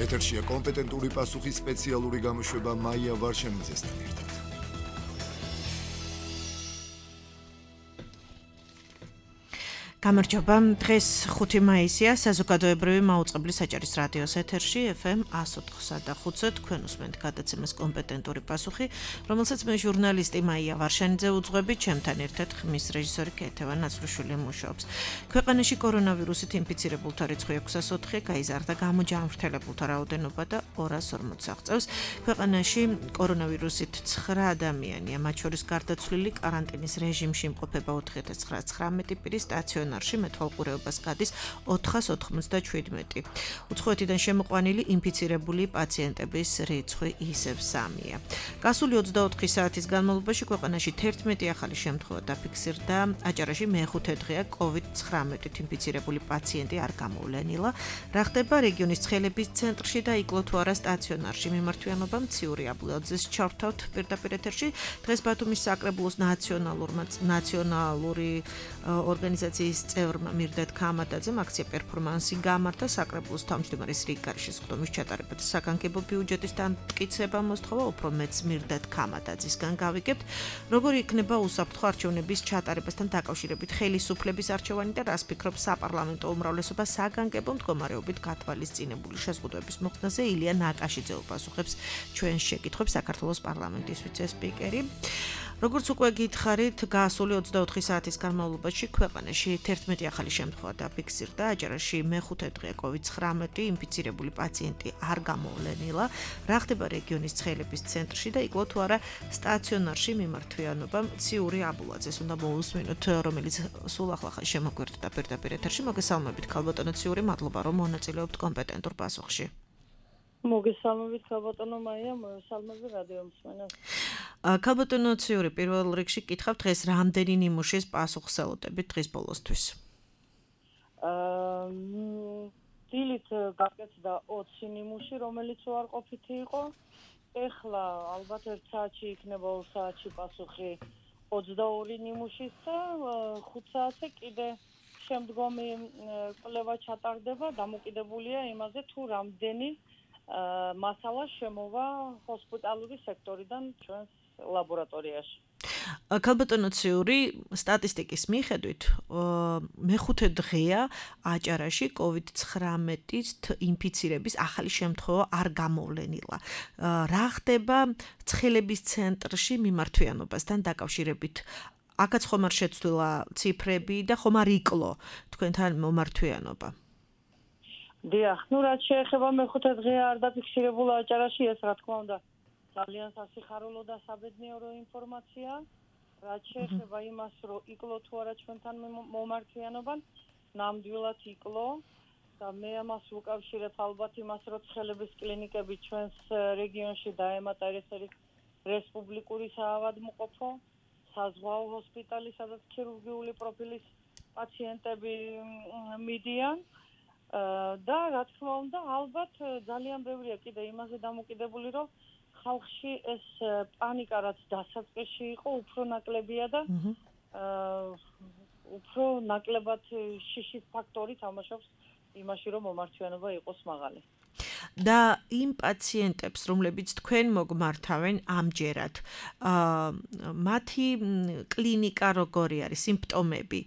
ეთერშია კომპეტენტური პასუხის სპეციალური გამოშვება მაია ვარშანიძესთან ერთად. გამარჯობა, დღეს 5 მაისია, საზოგადოებრივი მაუწყებლის საჭირის რადიოს ეთერში FM 104.5 თქვენ უსმენთ გადაცემას კომპეტენტური პასუხი, რომელსაც მე ჟურნალისტი მაია ვარშანიძე უძღვები, ჩემთან ერთად ხმის რეჟისორი კეთევა ნაცვლიშვილი მუშაობს. ქვეყანაში კორონავირუსით ინფიცირებულთა რიცხვი 604-ე გაიზარდა, გამოჯანმრთელებულთა რაოდენობა და 240 აღწევს. ქვეყანაში კორონავირუსით 9 ადამიანია, მათ შორის გარდაცვლილი კარანტინის რეჟიმში იმყოფება 4919 პირი სტაციონარში მეთვალყურეობას გადის 497. უცხოეთიდან შემოყვანილი ინფიცირებული პაციენტების რიცხვი ისევ 3-ია. გასული 24 საათის განმავლობაში ქვეყანაში 11 ახალი შემთხვევა დაფიქსირდა. აჭარაში მეხუთე დღეა COVID-19-ით ინფიცირებული პაციენტი არ გამოვლენილა. რა ხდება რეგიონის ცხელების ცენტრში და იკლო თუ არა სტაციონარში მიმართვიანობა მციური აბლაძეს ჩავთავთ პირდაპირ ეთერში. დღეს ბათუმის საკრებულოს ნაციონალური ორგანიზაციის წევრმა მირდეთ ქამატაძემ აქცია პერფორმანსი გამართა საკრებულოს თავმჯდომარის რიგგარიშის ხდომის ჩატარებათა საგანგებო ბიუჯეტის დამტკიცება მოსთხოვა უფრო მეც მირდეთ ქამატაძისგან გავიგებთ როგორი იქნება უსაფრთხო არჩევნების ჩატარებასთან დაკავშირებით ხელისუფლების არჩევანი და რას ფიქრობს საპარლამენტო უმრავლესობა საგანგებო მდგომარეობით გათვალისწინებული შეზღუდვების მოხსნაზე ილია ნაკაშიძე უპასუხებს ჩვენს შეკითხვებს საქართველოს პარლამენტის ვიცე-სპიკერი. როგორც უკვე გითხარით, გასული 24 საათის განმავლობაში ქვეყანაში 11 ახალი შემთხვევა დაფიქსირდა. აჭარაში მეხუთე დღეა COVID-19 ინფიცირებული პაციენტი არ გამოვლენილა. რა ხდება რეგიონის ცხელების ცენტრში და იკლო თუ არა სტაციონარში მიმართვიანობა მციური აბულაძეს უნდა მოусმინოთ, რომელიც სულ ახლა შემოგვერთა პირდაპირ ეთერში. მოგესალმებით, ქალბატონო ციური, მადლობა რომ მონაწილეობთ კომპეტენტურ პასუხში. მოგესალმებით ქალბატონო მაია, მოგესალმები რადიო მსმენელს. ქალბატონო ციური, პირველ რიგში კითხავ დღეს რამდენი ნიმუშის პასუხს ელოდებით დღის ბოლოსთვის? დილით გაკეთდა 20 ნიმუში, რომელიც უარყოფითი იყო. ეხლა ალბათ 1 საათში იქნება 2 საათში პასუხი 22 ნიმუშის და 5 საათზე კიდე შემდგომი კვლევა ჩატარდება, დამოკიდებულია იმაზე თუ რამდენი მასალა შემოვა ჰოსპიტალური სექტორიდან ჩვენს ლაბორატორიაში. ქალბატონო ციური, სტატისტიკის მიხედვით, მეხუთე დღეა აჭარაში COVID-19-ით ინფიცირების ახალი შემთხვევა არ გამოვლენილა. რა ხდება ცხელების ცენტრში მიმართვიანობასთან დაკავშირებით? აქაც ხომ არ შეცვლილა ციფრები და ხომ არ იკლო თქვენთან მომართვიანობა? დიახ, რაც შეეხება მეხუთე დღეა არ დაფიქსირებულა აჭარაში, ეს რა თქმა უნდა ძალიან სასიხარულო და საბედნიერო ინფორმაცია. რაც შეეხება იმას, რომ იკლო თუ არა ჩვენთან მომართვიანობა, ნამდვილად იკლო და მე ამას ვუკავშირებ ალბათ იმას, რომ ცხელების კლინიკები ჩვენს რეგიონში დაემატა ეს არის რესპუბლიკური საავადმყოფო, საზღვაო ჰოსპიტალი, სადაც ქირურგიული პროფილის პაციენტები მიდიან. და რა თქმა უნდა, ალბათ ძალიან ბევრია კიდე იმაზე დამოკიდებული, რომ ხალხში ეს პანიკა რაც დასაწყისში იყო, უფრო ნაკლებია და უფრო ნაკლებად შიშის ფაქტორი თამაშობს იმაში, რომ მომართვიანობა იყოს მაღალი. და იმ პაციენტებს, რომლებიც თქვენ მოგმართავენ ამჯერად, მათი კლინიკა როგორი არის, სიმპტომები,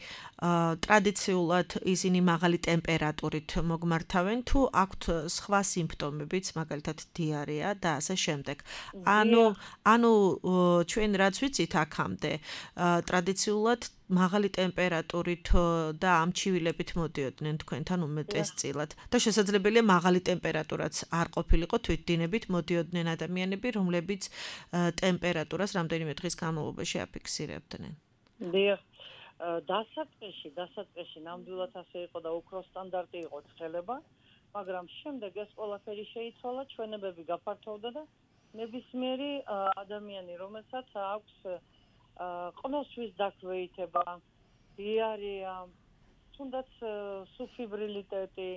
ტრადიციულად ისინი მაღალი ტემპერატურით მოგმართავენ თუ აქვთ სხვა სიმპტომებიც, მაგალითად დიარეა და ასე შემდეგ. ანუ ჩვენ რაც ვიცით აქამდე, ტრადიციულად მაღალი ტემპერატურით და ამჩივილებით მოდიოდნენ თქვენთან უმეტესწილად და შესაძლებელია მაღალი ტემპერატურაც არ ყოფილიყო, თვითდინებით მოდიოდნენ ადამიანები, რომლებიც ტემპერატურას რამდენიმე დღის განმავლობაში აფიქსირებდნენ. დიახ, დასაწყისში ნამდვილად ასე იყო და უფრო სტანდარტი იყო ცხელება, მაგრამ შემდეგ ეს ყველაფერი შეიცვალა, ჩვენებები გაფართოვდა და ნებისმიერი ადამიანი, რომელსაც აქვს ყნოსვის დაქვეითება, დიარეა, თუნდაც სუფიბრილიტეტი,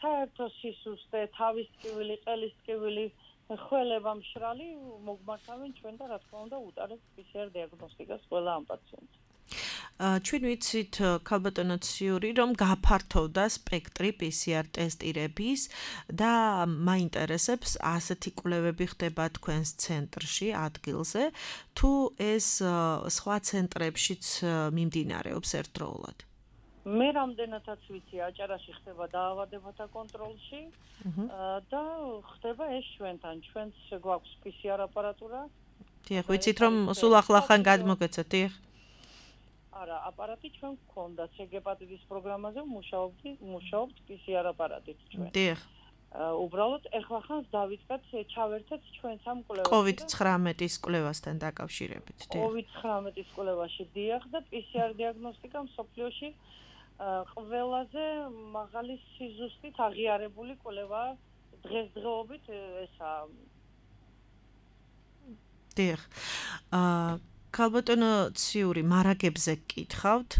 საერთო სისუსტე, თავის ტკივილი, ყელის ტკივილი, ხველება მშრალი, მოგმართავენ ჩვენ და რა თქმა უნდა უტარებთ PCR დიაგნოსტიკას ყველა ამ პაციენტს. ჩვენ ვიცით ქალბატონო ციური, რომ გაფართოვდა სპექტრი PCR ტესტირების და მაინტერესებს ასეთი კვლევები ხდება თქვენს ცენტრში, ადგილზე, თუ ეს სხვა ცენტრებშიც მიმდინარეობს ერთდროულად. მე რამდენადაც ვიცი, აჭარაში ხდება დაავადებათა კონტროლში და ხდება ეს ჩვენს გვაქვს PCR აპარატურა. დიახ, ვიცით რომ სულ ახლახან გადმოგეცეთ, დიახ. არა, აპარატი ჩვენ გქონდა, ცეგეპატიტის პროგრამაზე მუშაობთ PCR აპარატით ჩვენ. დიახ. უბრალოდ ეხლა დავიწყეთ, ჩავერთეთ ჩვენ სამ კვლევაში. COVID-19-ის კვლევასთან დაკავშირებით, დიახ. COVID-19-ის კვლევაში დიახ და PCR დიაგნოსტიკა მსოფლიოში ყველაზე მაღალი სიზუსტით აღიარებული კვლევა დღესდღეობით ესა. დიახ. ქალბატონო ციური, მარაგებზე გკითხავთ,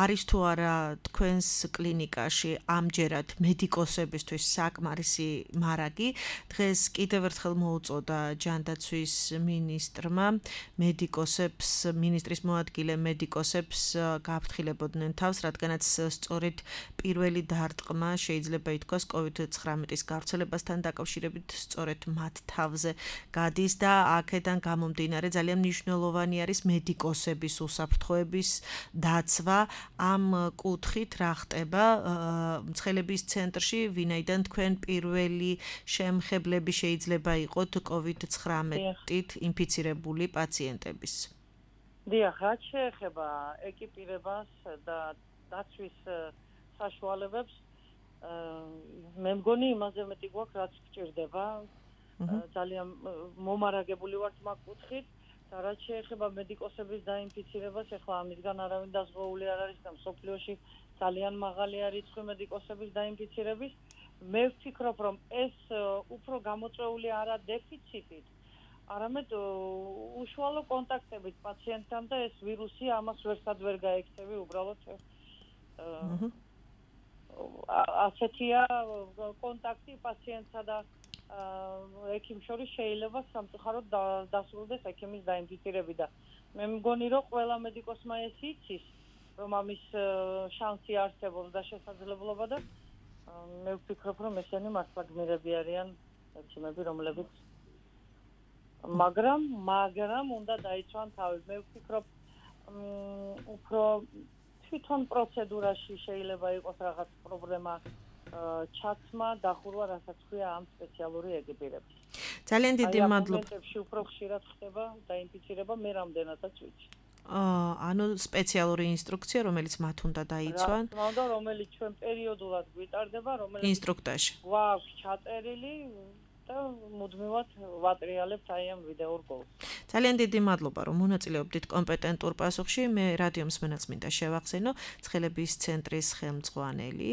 არის თუ არა თქვენს კლინიკაში ამჯერად მედიკოსებისთვის საკმარისი მარაგი? დღეს კიდევ ერთხელ მოუწოდა ჯანდაცვის მინისტრმა მედიკოსებს, მინისტრის მოადგილე მედიკოსებს გაფრთხილებოდნენ თავს, რადგანაც სწორედ პირველი დარტყმა შეიძლება ითქვას COVID-19-ის გავრცელებასთან დაკავშირებით სწორედ მათ თავზე გადის და აქედან გამომდინარე ძალიან მნიშვნელოვანი არის მედიკოსების უსაფრთხოების დაცვა. ამ კუთხით რა ხდება მცხელების ცენტრში, ვინაიდან თქვენ პირველი შემხებლები შეიძლება იყოთ COVID-19-ით ინფიცირებული პაციენტების. დიახ, რაც შეეხება ეკიპირებას და დაცვის საშუალებებს, მე მგონი იმაზე მეტი გვაქვს, რაც გჭირდება. ძალიან მომარაგებული ვართ მაგ კუთხით. და რაც შეეხება მედიკოსების დაინფიცირებას, ეხლა ამისგან არავინ დაზღვეული არ არის და მსოფლიოში ძალიან მაღალი არის რიცხვი მედიკოსების დაინფიცირების. მე ვფიქრობ, რომ ეს უფრო გამოწვეული არა დეფიციტით, არამედ უშუალო კონტაქტებით პაციენტთან და ეს ვირუსი ამას ვერსად ვერ გაექცევი, უბრალოდ ასეთია კონტაქტი პაციენტსა და ექიმ შორის შეიძლება სამწუხაროდ დასრულდეს ექიმის დაინფიცირებით და მე მგონი რომ ყველა მედიკოსმა ეს იცის რომ ამის შანსი არსებობს და შესაძლებლობა და მე ვფიქრობ რომ ესენი მართლა გმირები არიან ექიმები რომლებიც მაგრამ უნდა დაიცვან თავი. მე ვფიქრობ უფრო თვითონ პროცედურაში შეიძლება იყოს რაღაც პრობლემა ჩაცმა დახურვა რასაც ქვია ამ სპეციალური ეკიპირების. ძალიან დიდი მადლობა. მომენტებში უფრო ხშირად ხდება დაინფიცირება, მე რამდენადაც ვიცი. ანუ სპეციალური ინსტრუქცია, რომელიც მათ უნდა დაიცვან. რა თქმა უნდა, რომელიც ჩვენ პერიოდულად გვიტარდება, რომელიც ინსტრუქტორში. გვაქვს ჩაწერილი და მუდმივად ვატრიალებთ აი ამ ვიდეო რგოლს. ძალიან დიდი მადლობა, რომ მონაწილეობდით კომპეტენტურ პასუხში. მე რადიო მსმენელს მინდა შევახსენო, ცხელების ცენტრის ხელმძღვანელი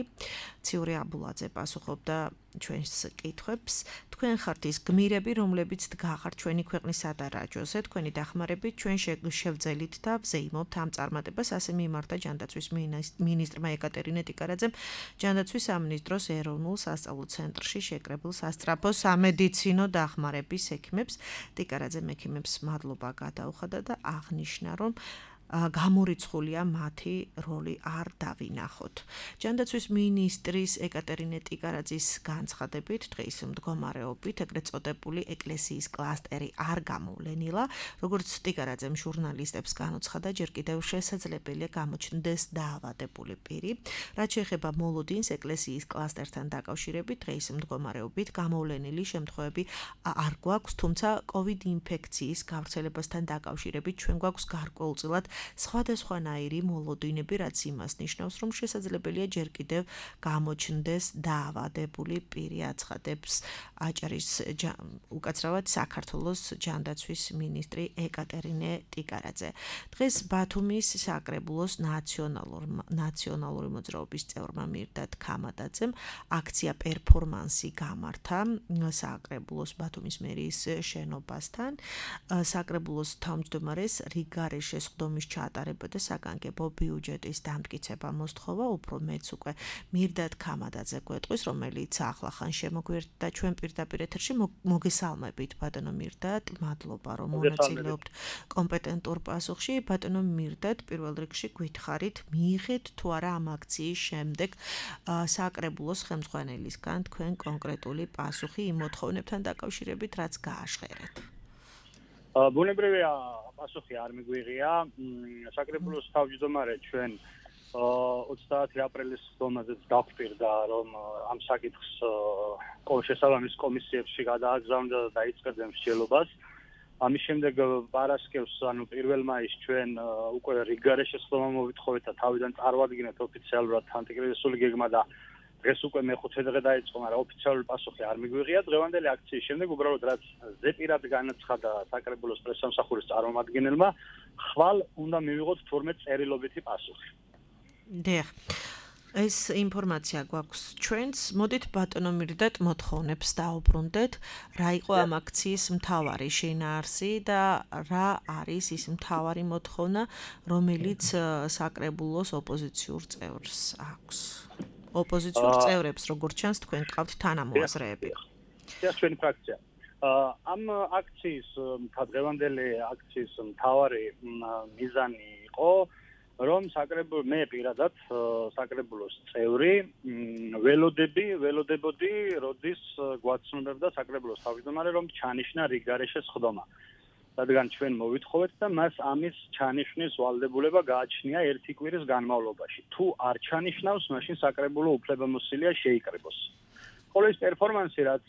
ციური აბულაძე პასუხობდა ჩვენს კითხვებს. თქვენ ხართ ის გმირები, რომლებიც დგახართ ჩვენი ქვეყნის სადარაჯოზე, თქვენი დახმარებით ჩვენ შევძელით და ვზეიმობთ ამ წარმატებას, ასე მიმართა ჯანდაცვის მინისტრმა ეკატერინე ტიკარაძემ ჯანდაცვის სამინისტროს ეროვნულ სასწავლო ცენტრში შეკრებილ სასწრაფო სამედიცინო დახმარების ექიმებს. ტიკარაძემ ექიმებს მადლობა გადაუხადა და აღნიშნა, რომ გამორიცხულია მათი როლი არ დავინახოთ. ჯანდაცვის მინისტრის ეკატერინე ტიკარაძის განცხადებით, დღის მდგომარეობით ეგრეთ წოდებული ეკლესიის კლასტერი არ გამოვლენილა, როგორც ტიკარაძემ ჟურნალისტებს განუცხადა, ჯერ კიდევ შესაძლებელია გამოჩნდეს დაავადებული პირი. რაც შეეხება მოლოდინს ეკლესიის კლასტერთან დაკავშირებით, დღის მდგომარეობით გამოვლენილი შემთხვევები არ გვაქვს, თუმცა COVID ინფექციის გავრცელებასთან დაკავშირებით ჩვენ გვაქვს გარკვეულწილად სხვადასხვანაირი მოლოდინები, რაც იმას ნიშნავს, რომ შესაძლებელია ჯერ კიდევ გამოჩნდეს დაავადებული პირი, აცხადებს აჭარის უკაცრავად საქართველოს ჯანდაცვის მინისტრი ეკატერინე ტიკარაძე. დღეს ბათუმის საკრებულოს ნაციონალური მოძრაობის წევრმა მირდად ქამადაძემ აქცია პერფორმანსი გამართა საკრებულოს ბათუმის მერიის შენობასთან. საკრებულოს თავმჯდომარეს რიგარეშე სხდომის რამის ჩაატარებოდა საგანგებო ბიუჯეტის დამტკიცება მოსთხოვა, უფრო მეც უკვე მირდად ქამადაძე გვეტყვის, რომელიც ახლახან შემოგვერდა ჩვენ პირდაპირ ეთერში. მოგესალმებით ბატონო მირდად, მადლობა რომ მონაწილეობთ კომპეტენტურ პასუხში. ბატონო მირდად, პირველ რიგში გითხარით, მიიღეთ თუ არა ამ აქციის შემდეგ საკრებულოს ხელმძღვანელისგან თქვენ კონკრეტული პასუხი იმ მოთხოვნებთან დაკავშირებით, რაც გააშხერეთ. ბუნებრივია, პასუხი არ მიგვიღია. საკრებულოს თავმჯდომარე ჩვენ 30 აპრილის ხდომაზეც დაგვპირდა, რომ ამ საკითხს შესაბამის კომისიებში გადააგზავნდა და დაიწყებდნენ მსჯელობას. ამის შემდეგ პარასკევს, ანუ 1 მაისს ჩვენ უკვე რიგგარეშე ხდომა მოვითხოვეთ და თავიდან წარვადგინეთ ოფიციალურად ანტიკრიზისული გეგმა და დღეს უკვე მე-5 დღე დაიწყო, მაგრამ ოფიციალური პასუხი არ მიგვიღია. დღევანდელი აქციის შემდეგ უბრალოდ რაც ზეპირად განაცხადა საკრებულოს პრესსამსახურის წარმომადგენელმა, ხვალ უნდა მივიღოთ 12 წერილობითი პასუხი. დიახ. ეს ინფორმაცია გვაქვს ჩვენს. მოდით ბატონო მირდად მოთხოვნებს დაუბრუნდეთ, რა იყო ამ აქციის მთავარი შინაარსი და რა არის ის მთავარი მოთხოვნა, რომელიც საკრებულოს ოპოზიციურ წევრს აქვს. ოპოზიციურ წევრებს, როგორც ჩანს, თქვენ გყავთ თანამოაზრეები. ეს ჩვენი ფრაქცია. ამ აქციის დღევანდელი აქციის მთავარი მიზანი იყო, რომ მე პირადად საკრებულოს წევრი ველოდებოდი, როდის გვაცნობებდა საკრებულოს თავმჯდომარე, რომ ჩანიშნა რიგგარეშე ხდომა. რადგან ჩვენ მოვითხოვეთ და მას ამის ჩანიშვნის ვალდებულება გააჩნია 1 კვირის განმავლობაში. თუ არ ჩანიშნავს, მაშინ საკრებულო უფლებამოსილია შეიკრიბოს. ხოლო ეს პერფორმანსი, რაც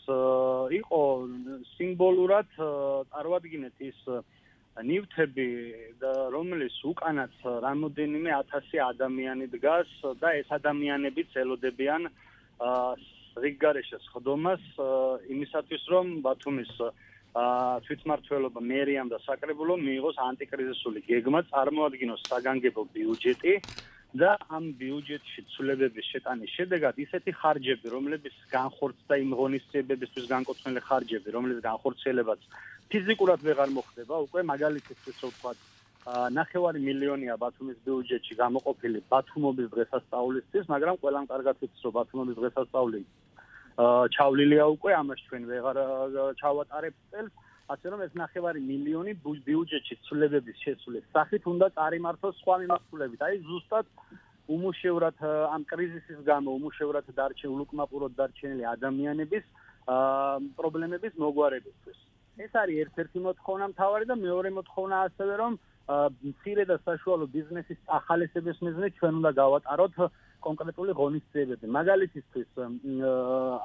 იყო სიმბოლურად წარვადგინეთ ის ნივთები, რომლის უკანაც რამოდენიმე 1000 ადამიანი დგას და ეს ადამიანებიც ელოდებიან რიგგარეშე ხდომას იმისათვის, რომ ბათუმის თვითმმართველობა, მერიამ და საკრებულო მიიღოს ანტიკრიზისული გეგმა, წარმოადგინოს საგანგებო ბიუჯეტი და ამ ბიუჯეტში ცვლილებების შეტანის შედეგად ისეთი ხარჯები, რომლებიც განხორციელდა იმ ღონისძიებებისთვის განკუთვნილი ხარჯები, რომლის განხორციელებაც ფიზიკურად ვეღარ მოხდება, უკვე მაგალითისთვის რო ვთქვათ, 9 მილიონია ბათუმის ბიუჯეტში გამოყოფილი ბათუმობის დღესასწაულისთვის, მაგრამ ყველამ კარგად იცის, რომ ბათუმობის დღესასწაული ჩავლილია უკვე, ამას ჩვენ ვეღარ ჩავატარებთ წელს, ასე რომ ეს 9 მილიონი ბიუჯეტში ცვლილებების შესulis სახით უნდა წარიმართოს სხვა მიმართულებით. აი ზუსტად უმუშევრად ამ კრიზისის გამო უმუშევრად უკმაყუროდ დარჩენილი ადამიანების პრობლემების მოგვარებისთვის. ეს არის ერთ-ერთი მოთხოვნა მთავარი და მეორე მოთხოვნა ასევე, რომ მცირე და საშუალო ბიზნესის ახალისების მიზნით ჩვენ უნდა გავატაროთ კონკრეტული ღონისძიებები. მაგალითისთვის,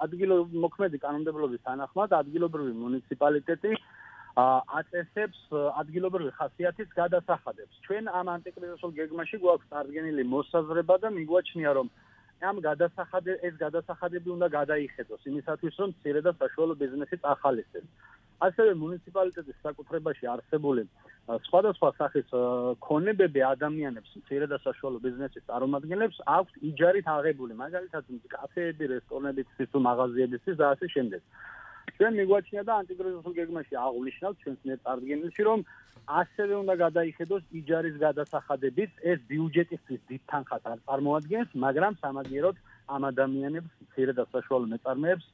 ადგილმოქმედი კანონმდებლობის თანახმად ადგილობრივი მუნიციპალიტეტი აწესებს ადგილობრივი ხასიათის გადასახადებს. ჩვენ ამ ანტიკრიზისულ გეგმაში გვაქვს წარდგენილი მოსაზრება და მიგვაჩნია, რომ ეს გადასახადები უნდა გადაიხედოს იმისათვის, რომ მცირე და საშუალო ბიზნესის ახალისებს. ასევე მუნიციპალიტეტის საკუთრებაში არსებული სხვადასხვა სახის ქონებები ადამიანებს, მცირე და საშუალო ბიზნესის წარმომადგენლებს აქვთ იჯარით აღებული, მაგალითად კაფეები, რესტორნები, ცისუ მაღაზიებისთვის და ასე შემდეგ. ჩვენ მიგვაჩნია და ანტიკრიზისულ გეგმაში აღვნიშნავთ ჩვენს მიერ წარდგენილში, რომ ასევე უნდა გადაიხედოს იჯარის გადასახადებიც, ეს ბიუჯეტისთვის დიდ თანხას არ წარმოადგენს, მაგრამ სამაგიეროდ ამ ადამიანებს, მცირე და საშუალო მეწარმეებს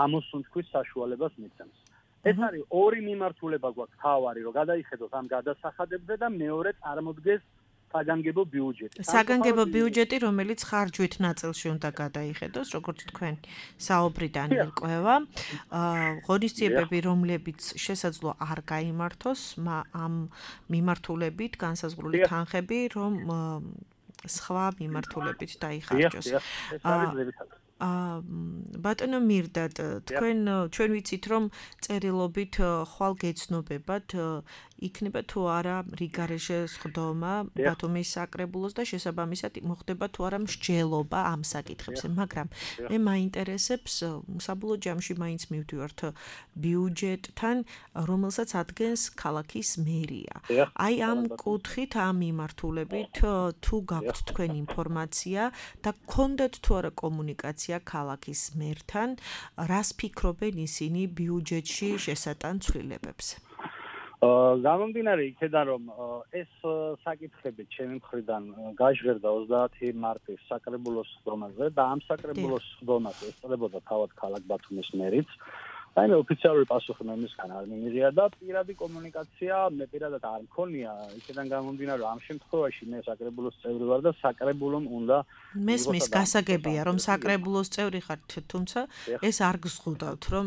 ამოსუნთქვის საშუალებას მიცემს. ეს არის ორი მიმართულება გვაქვს თავარი, რომ გადაიხედოს ამ გადასახადებზე და მეორე წარმოდგეს საგანგებო ბიუჯეტი. საგანგებო ბიუჯეტი, რომელიც ხარჯვით ნაწილში უნდა გადაიხედოს, როგორც თქვენ საუბრიდან ირკვევა. ღონისძიებები, რომლებიც შესაძლოა არ გაიმართოს, ამ მიმართულებით განსაზღვრული თანხები, რომ სხვა მიმართულებით დაიხარჯოს. ეს არის ძირითადად. ბატონო მირდად, ჩვენ ვიცით, რომ წერილობით ხვალ გეცნობებათ იქნება თუ არა რიგგარეშე ხდომა ბათუმის საკრებულოს და შესაბამისად მოხდება თუ არა მსჯელობა ამ საკითხებზე, მაგრამ მე მაინტერესებს საბოლოო ჯამში მაინც მივდივართ ბიუჯეტთან, რომელსაც ადგენს ქალაქის მერია. აი ამ კუთხით, ამ მიმართულებით თუ გაქვთ თქვენ ინფორმაცია და გქონდათ თუ არა კომუნიკაცია ქალაქის მერთან, რას ფიქრობენ ისინი ბიუჯეტში შესატან ცვლილებებზე? გამომდინარე იქედან რომ ეს საკითხები ჩემი მხრიდან გაჟღერდა 30 მარტის საკრებულოს სხდომაზე და ამ საკრებულოს სხდომას ესწრებოდა თავად ქალაქ ბათუმის მერიც. Აი ოფიციალური პასუხი მე მისგან არ მიმიღია და პირადი კომუნიკაცია მე პირადად არ მქონია იქედან გამომდინარე ამ შემთხვევაში მე საკრებულოს წევრი ვარ და საკრებულომ უნდა მესმის გასაგებია რომ საკრებულოს წევრი ხართ თუმცა ეს არ გზღუდავთ რომ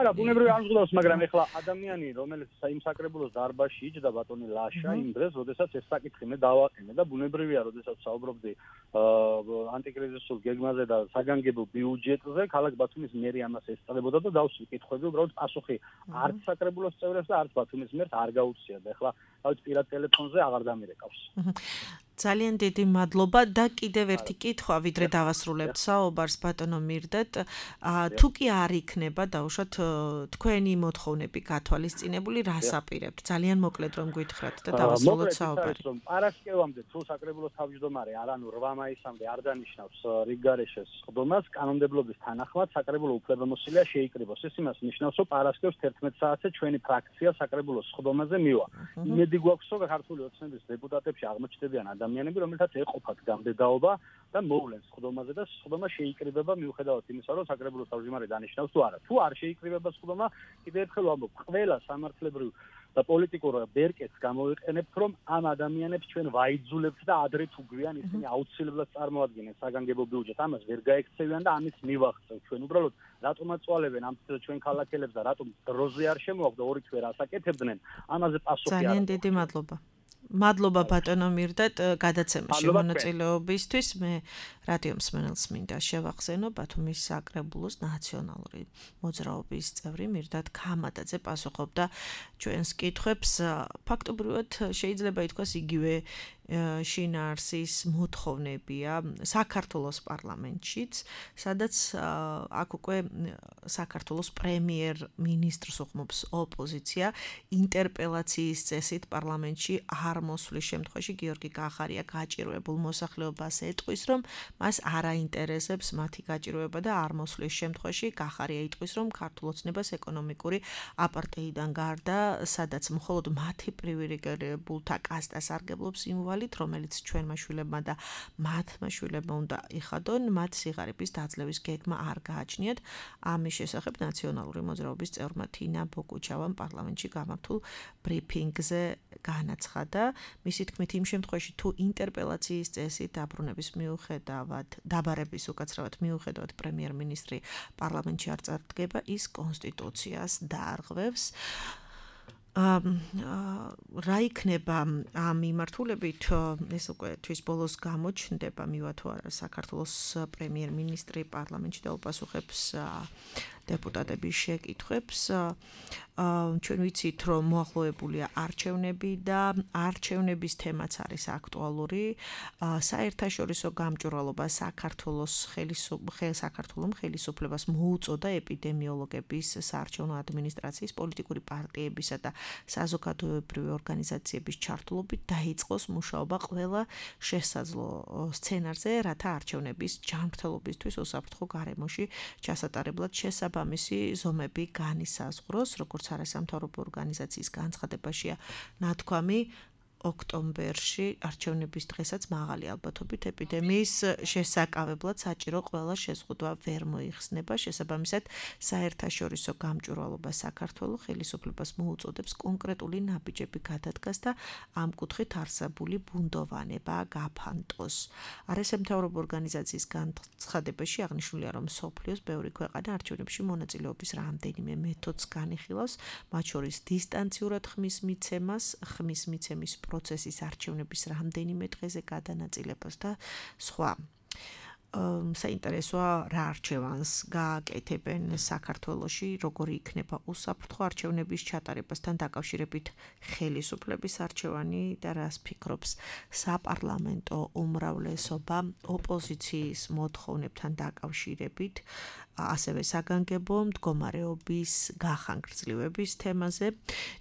არა ბუნებრივი არ გზღუდავს მაგრამ ეხლა ადამიანი რომელიც იმ საკრებულოს დარბაზში იჯდა ბატონი ლაშა იმ დღეს როდესაც ეს საკითხი მე დავაყენე და ბუნებრივია როდესაც საუბრობდი ანტიკრიზისულ გეგმაზე და საგანგებო ბიუჯეტზე ქალაქ ბათუმის მერი ამას ესწრებოდა და დავსვი კითხვები უბრალოდ პასუხი არც საკრებულოს წევრებს და არც ბათუმის მერს არ გაუწია და ეხლა თავის პირად ტელეფონზე აღარ დამირეკავს. ძალიან დიდი მადლობა და კიდევ ერთი კითხვა ვიდრე დავასრულებთ საუბარს ბატონო მირდეთ თუ კი არ იქნება დაუშვათ თქვენი მოთხოვნები გათვალისწინებული რას აპირებთ ძალიან მოკლედ რომ გითხრათ და დავასრულოთ საუბარი. პარასკევამდე თუ საკრებულოს თავმჯდომარე არანუ 8 მაისამდე არ დანიშნავს რიგგარეშეს სხდომას კანონმდებლობის თანახმად საკრებულო უფლებამოსილია შეიკრიბოს. ეს იმას ნიშნავს რომ პარასკევს 11 საათზე ჩვენი ფრაქცია საკრებულოს სხდომაზე მივა. იმედი გვაქვს რომ ქართული ოცნების დეპუტატებში აღმოჩნდებიან ადამიანები რომელთაც ეყოფათ გამდედაობა და მოვლენ სხდომაზე და სხდომა შეიკრიბება მიუხედავად იმისა რომ საკრებულოს თავმჯდომარე დანიშნავს თუ არა. თუ არ შეიკრიბება სხდომა კიდევ ერთხელ ვამბობ ყველა სამართლებრივ და პოლიტიკურ ბერკეტს გამოვიყენებთ რომ ამ ადამიანებს ჩვენ ვაიძულებთ და ადრე თუ გვიან ისინი აუცილებლად წარმოადგენენ საგანგებო ბიუჯეტს ამას ვერ გაექცევიან და ამის მივახცევთ ჩვენ უბრალოდ რატომაც წვალებენ ამ ჩვენ ქალაქელებს და რატომ დროზე არ შემოაქვს და ორი თვე რასაკეთებდნენ ამაზე პასუხი არ ძალიან დიდი მადლობა. მადლობა ბატონო მირდეთ გადაცემაში მონაწილეობისთვის მე რადიო მსმენელს მინდა შევახსენო ბათუმის საკრებულოს ნაციონალური მოძრაობის წევრი მირდეთ ქამადაძე პასუხობდა ჩვენს კითხვებს ფაქტობრივად შეიძლება ითქვას იგივე შინაარსის მოთხოვნებია საქართველოს პარლამენტშიც, სადაც აქ უკვე საქართველოს პრემიერ-მინისტრს უხმობს ოპოზიცია ინტერპელაციის წესით პარლამენტში არ მოსვლის შემთხვევაში გიორგი კახარია გაჭირვებულ მოსახლეობას ეტყვის, რომ მას არ აინტერესებს მათი გაჭირვება და არ მოსვლის შემთხვევაში კახარია იტყვის, რომ ქართულ ოცნებას ეკონომიკური აპარტეიდან გარდა, სადაც მხოლოდ მათი პრივილეგირებულთა კასტა სარგებლობს იმ რომელიც ჩვენმა შვილებმა და მათმა შვილებმა უნდა იხადონ, მათ სიღარიბის დაძლევის გეგმა არ გააჩნიათ. ამის შესახებ ნაციონალური მოძრაობის წევრმა თინა ბოკუჩავამ პარლამენტში გამართულ ბრიფინგზე განაცხადა. მისი თქმით, იმ შემთხვევაში თუ ინტერპელაციის წესით დაბრუნების მიუხედავად, დაბარების უკაცრავად მიუხედავად პრემიერ-მინისტრი პარლამენტში არ წარდგება, ის კონსტიტუციას დაარღვევს. რა იქნება ამ მიმართულებით ეს უკვე თვის ბოლოს გამოჩნდება მივა თუ არა საქართველოს პრემიერ-მინისტრი პარლამენტში დაუპასუხებს დეპუტატების შეკითხვებს ჩვენ ვიცით რომ მოახლოებულია არჩევნები და არჩევნების თემაც არის აქტუალური საერთაშორისო გამჭვირვალობა საქართველოს ხელისუფლებას მოუწოდა ეპიდემიოლოგების საარჩევნო ადმინისტრაციის პოლიტიკური პარტიებისა და საზოგადოებრივი ორგანიზაციების ჩართულობით დაიწყოს მუშაობა ყველა შესაძლო სცენარზე, რათა არჩევნების ჯანმრთელობისთვის უსაფრთხო გარემოში ჩასატარებლად შესაბამისი ზომები განისაზღვროს, როგორც არასამთავრობო ორგანიზაციის განცხადებაშია ნათქვამი ოქტომბერში არჩევნების დღესაც მაღალი ალბათობით ეპიდემიის შესაკავებლად საჭირო ყველა შეზღუდვა ვერ მოიხსნება. შესაბამისად, საერთაშორისო გამჭვირვალობა საქართველოს ხელისუფლებას მოუწოდებს კონკრეტული ნაბიჯები გადადგას და ამ კუთხით არსებული ბუნდოვანება გაფანტოს. არასამთავრობო ორგანიზაციის განცხადებაში აღნიშნულია, რომ მსოფლიოს ბევრი ქვეყანა არჩევნებში მონაწილეობის რამდენიმე მეთოდს განიხილავს, მათ შორის დისტანციურად ხმის მიცემის პროცესის არჩევნების რამდენიმე დღეზე გადანაწილებას და სხვა. საინტერესოა რა არჩევანს გააკეთებენ საქართველოში, როგორი იქნება უსაფრთხო არჩევნების ჩატარებასთან დაკავშირებით ხელისუფლების არჩევანი და რას ფიქრობს საპარლამენტო უმრავლესობა ოპოზიციის მოთხოვნებთან დაკავშირებით, ასევე საგანგებო მდგომარეობის გახანგრძლივების თემაზე.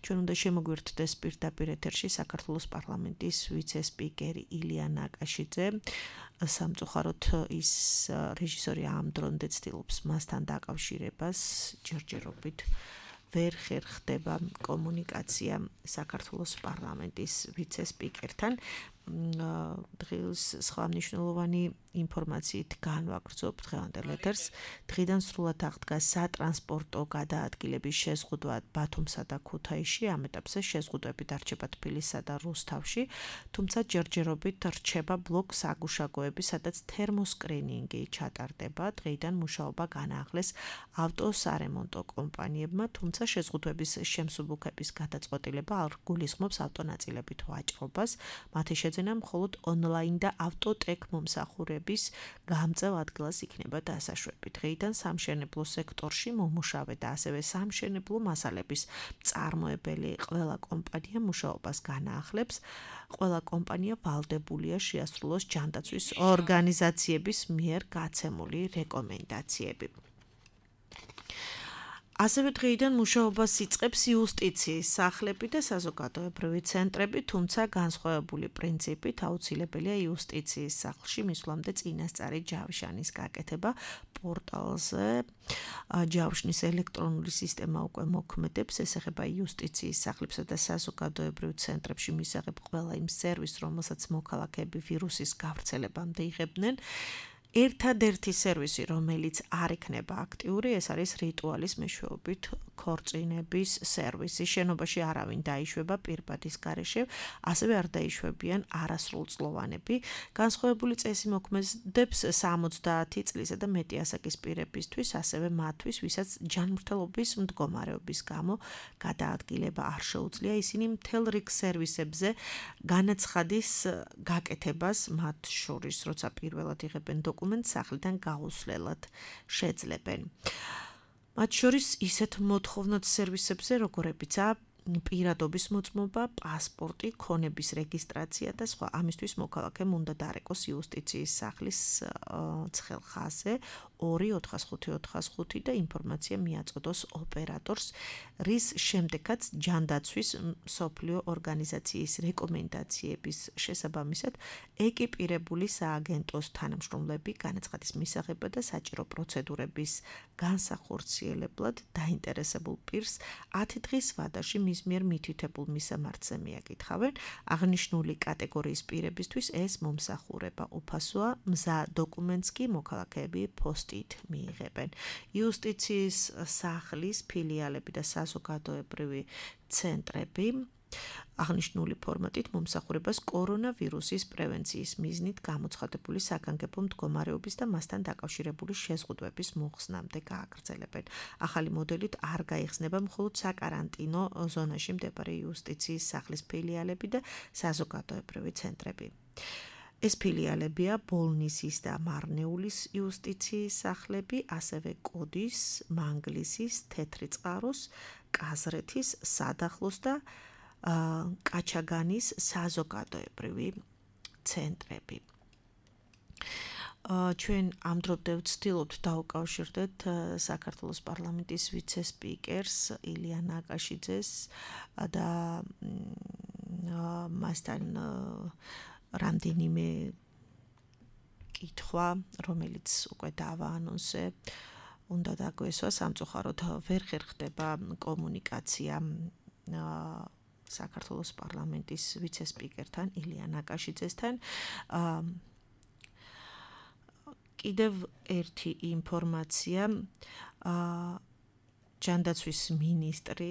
ჩვენ უნდა შემოგვერთდეს პირდაპირ ეთერში საქართველოს პარლამენტის ვიცე-სპიკერი ილია ნაკაშიძე. სამწუხაროდ ის რეჟისორი ამ დრომდე ცდილობს მასთან დაკავშირებას ჯერჯერობით ვერ ხერხდება კომუნიკაცია საქართველოს პარლამენტის ვიცე-სპიკერთან. დღეს სხვა მნიშვნელოვანი ინფორმაციით განვაგრძობ დღევანდელ ეთერს. დღიდან სრულად აღდგა სატრანსპორტო გადაადგილების შეზღუდვა ბათუმსა და ქუთაისში. ამ ეტაპზე შეზღუდვები დარჩება თბილისსა და რუსთავში, თუმცა ჯერჯერობით რჩება ბლოკ საგუშაგოები, სადაც თერმოსკრინინგი ჩატარდება. დღეიდან მუშაობა განაახლეს ავტოსარემონტო კომპანიებმა, თუმცა შეზღუდვების შემსუბუქების გადაწყვეტილება არ გულისხმობს ავტონაწილებით ვაჭრობას. მათი შეძენა მხოლოდ ონლაინ და ავტოტეკ მომსახურების გამწევ ადგილას იქნება დასაშვები. დღეიდან სამშენებლო სექტორში მომუშავე და ასევე სამშენებლო მასალების მწარმოებელი ყველა კომპანია მუშაობას განაახლებს. ყველა კომპანია ვალდებულია შეასრულოს ჯანდაცვის ორგანიზაციების მიერ გაცემული რეკომენდაციები. ასევე დღეიდან მუშაობას იწყებს იუსტიციის სახლები და საზოგადოებრივი ცენტრები, თუმცა განსხვავებული პრინციპით აუცილებელია იუსტიციის სახლში მისვლამდე წინასწარი ჯავშანის გაკეთება. პორტალზე ჯავშნის ელექტრონული სისტემა უკვე მოქმედებს, ეს ეხება იუსტიციის სახლებსა და საზოგადოებრივ ცენტრებში მისაღებ ყველა იმ სერვისს, რომელსაც მოქალაქეები ვირუსის გავრცელებამდე იღებდნენ. ერთადერთი სერვისი, რომელიც არ იქნება აქტიური, ეს არის რიტუალის მეშვეობით ქორწინების სერვისი. შენობაში არავინ დაიშვება პირბადის გარეშე, ასევე არ დაიშვებიან არასრულწლოვანები. განსხვავებული წესი მოქმედებს 70 წლისა და მეტი ასაკის პირებისთვის, ასევე მათთვის, ვისაც ჯანმრთელობის მდგომარეობის გამო გადაადგილება არ შეუძლია. ისინი მთელ რიგ სერვისებზე განაცხადის გაკეთებას, მათ შორის, როცა პირველად იღებენ დოკუმენტს სახლიდან გაუსვლელად შეძლებენ. მათ შორის ისეთ მოთხოვნად სერვისებზე, როგორებიცაა პირადობის მოწმობა, პასპორტი, ქონების რეგისტრაცია და სხვა. ამისთვის მოქალაქემ უნდა დარეკოს იუსტიციის სახლის ცხელხაზე 2-455 და ინფორმაცია მიაწოდოს ოპერატორს, რის შემდეგაც ჯანდაცვის მსოფლიო ორგანიზაციის რეკომენდაციების შესაბამისად ეკიპირებული სააგენტოს თანამშრომლები განაცხადის მისაღებად და საჭირო პროცედურების განსახორციელებლად დაინტერესებულ პირს 10 დღის ვადაში მის მიერ მითითებულ მისამართზე მიაკითხავენ. აღნიშნული კატეგორიის პირებისთვის ეს მომსახურება უფასოა, მზა დოკუმენტს კი მოქალაქეები პოსტით მიიღებენ. იუსტიციის სახლის ფილიალები და საზოგადოებრივი ცენტრები აღნიშნული ფორმატით მომსახურებას კორონავირუსის პრევენციის მიზნით გამოცხადებული საგანგებო მდგომარეობის და მასთან დაკავშირებული შეზღუდვების მოხსნამდე გააგრძელებენ. ახალი მოდელით არ გაიხსნება მხოლოდ საკარანტინო ზონაში მდებარე იუსტიციის სახლის ფილიალები და საზოგადოებრივი ცენტრები. ეს ფილიალებია ბოლნისის და მარნეულის იუსტიციის სახლები, ასევე კოდის, მანგლისის, თეთრიწყაროს, კაზრეთის, სადახლოს და კაჩაგანის საზოგადოებრივი ცენტრები. ჩვენ ამ დრომდე ვცდილობთ დავუკავშირდეთ საქართველოს პარლამენტის ვიცე-სპიკერს ილია ნაკაშიძეს და მასთან რამდენიმე კითხვა, რომელიც უკვე დავაანონსე, უნდა დაგვესვა. სამწუხაროდ ვერ ხერხდება კომუნიკაცია საქართველოს პარლამენტის ვიცე-სპიკერთან ილია ნაკაშიძესთან. კიდევ ერთი ინფორმაცია, ჯანდაცვის მინისტრი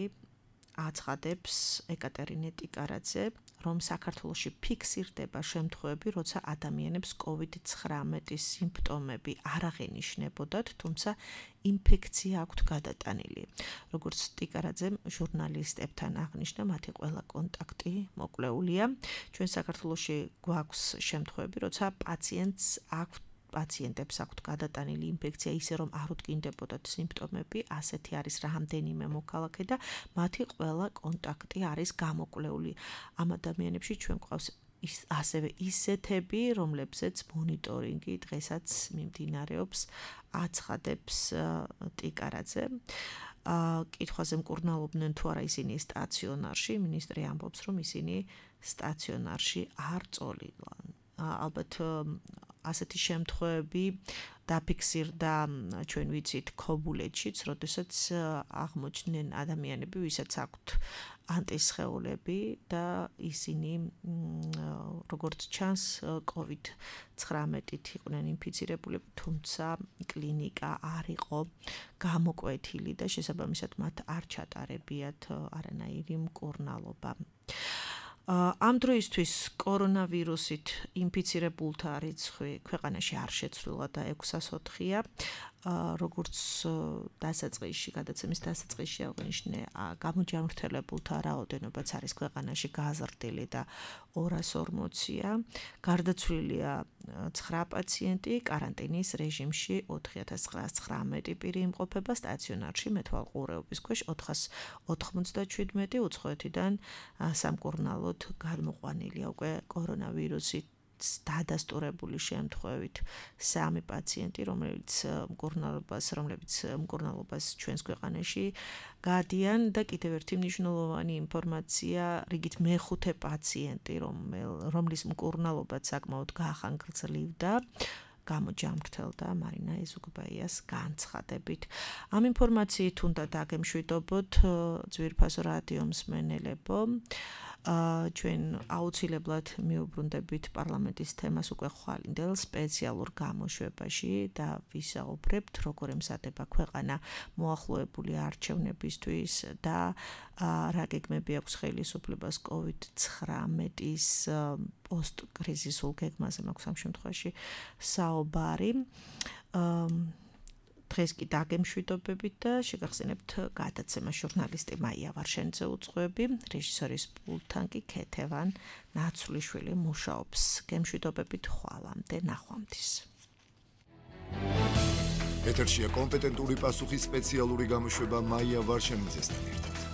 აცხადებს ეკატერინე ტიკარაძე, რომ საქართველოში ფიქსირდება შემთხვევები, როცა ადამიანებს COVID-19 სიმპტომები არ აღენიშნებოდათ, თუმცა ინფექცია აქვთ გადატანილი. როგორც ტიკარაძემ ჟურნალისტებთან აღნიშნა, მათი ყველა კონტაქტი მოკვლეულია. ჩვენ საქართველოში გვაქვს შემთხვევები, როცა პაციენტებს აქვთ გადატანილი ინფექცია ისე რომ არ უთკინდებოდათ სიმპტომები, ასეთი არის რამდენიმე მოქალაქე და მათი ყველა კონტაქტი არის გამოკვლეული. ამ ადამიანებში ჩვენ გვყავს ასევე ისეთები, რომლებზეც მონიტორინგი დღესაც მიმდინარეობს, აცხადებს ტიკარაძე. კითხვაზე მკურნალობდნენ თუ არა ისინი სტაციონარში, მინისტრი ამბობს, რომ ისინი სტაციონარში არ წოლილან. ალბათ ასეთი შემთხვევები დაფიქსირდა ჩვენ ვიცით ქობულეთშიც, როდესაც აღმოჩნდნენ ადამიანები, ვისაც აქვთ ანტისხეულები და ისინი როგორც ჩანს COVID-19-ით იყვნენ ინფიცირებულები, თუმცა კლინიკა არ იყო გამოკვეთილი და შესაბამისად მათ არ ჩატარებიათ არანაირი მკურნალობა. ამ დროისთვის კორონავირუსით ინფიცირებულთა რიცხვი ქვეყანაში არ შეცვლილა და 604-ია. როგორც გადაცემის დასაწყისში აღნიშნე, გამოჯანმრთელებულთა რაოდენობაც არის ქვეყანაში გაზრდილი და 240-ია. გარდაცვლილია 9 პაციენტი, კარანტინის რეჟიმში 4919 პირი იმყოფება, სტაციონარში მეთვალყურეობის ქვეშ 497, უცხოეთიდან სამკურნალოდ გადმოყვანილია უკვე კორონავირუსით დადასტურებული შემთხვევით 3 პაციენტი, რომლებიც მკურნალობას ჩვენს ქვეყანაში გადიან და კიდევ ერთი მნიშვნელოვანი ინფორმაცია, რიგით მეხუთე პაციენტი, რომლის მკურნალობაც საკმაოდ გაახანგრძლივდა, გამოჯამრთელდა მარინა ეზუგბაიას განცხადებით. ამ ინფორმაციით უნდა დაგემშვიდობოთ ძვირფასო რადიო მსმენელებო. ჩვენ აუცილებლად მიუბრუნდებით პარლამენტის თემას უკვე ხვალინდელ სპეციალურ გამოშვებაში და ვისაუბრებთ, როგორ ემზადება ქვეყანა მოახლოებული არჩევნებისთვის და რა გეგმები აქვს ხელისუფლებას COVID-19-ის პოსტკრიზისულ გეგმაზე მაქვს ამ შემთხვევაში საუბარი. დღეს კი დაგემშვიდობებით და შეგახსენებთ გადაცემა ჟურნალისტი მაია ვარშენიძე უძღვები, რეჟისორის პულტთან კი ქეთევან ნაცვლიშვილი მუშაობს. გემშვიდობებით ხვალამდე ნახვამდის. ეთერშია კომპეტენტური პასუხის სპეციალური გამოშვება მაია ვარშენიძესთან ერთად.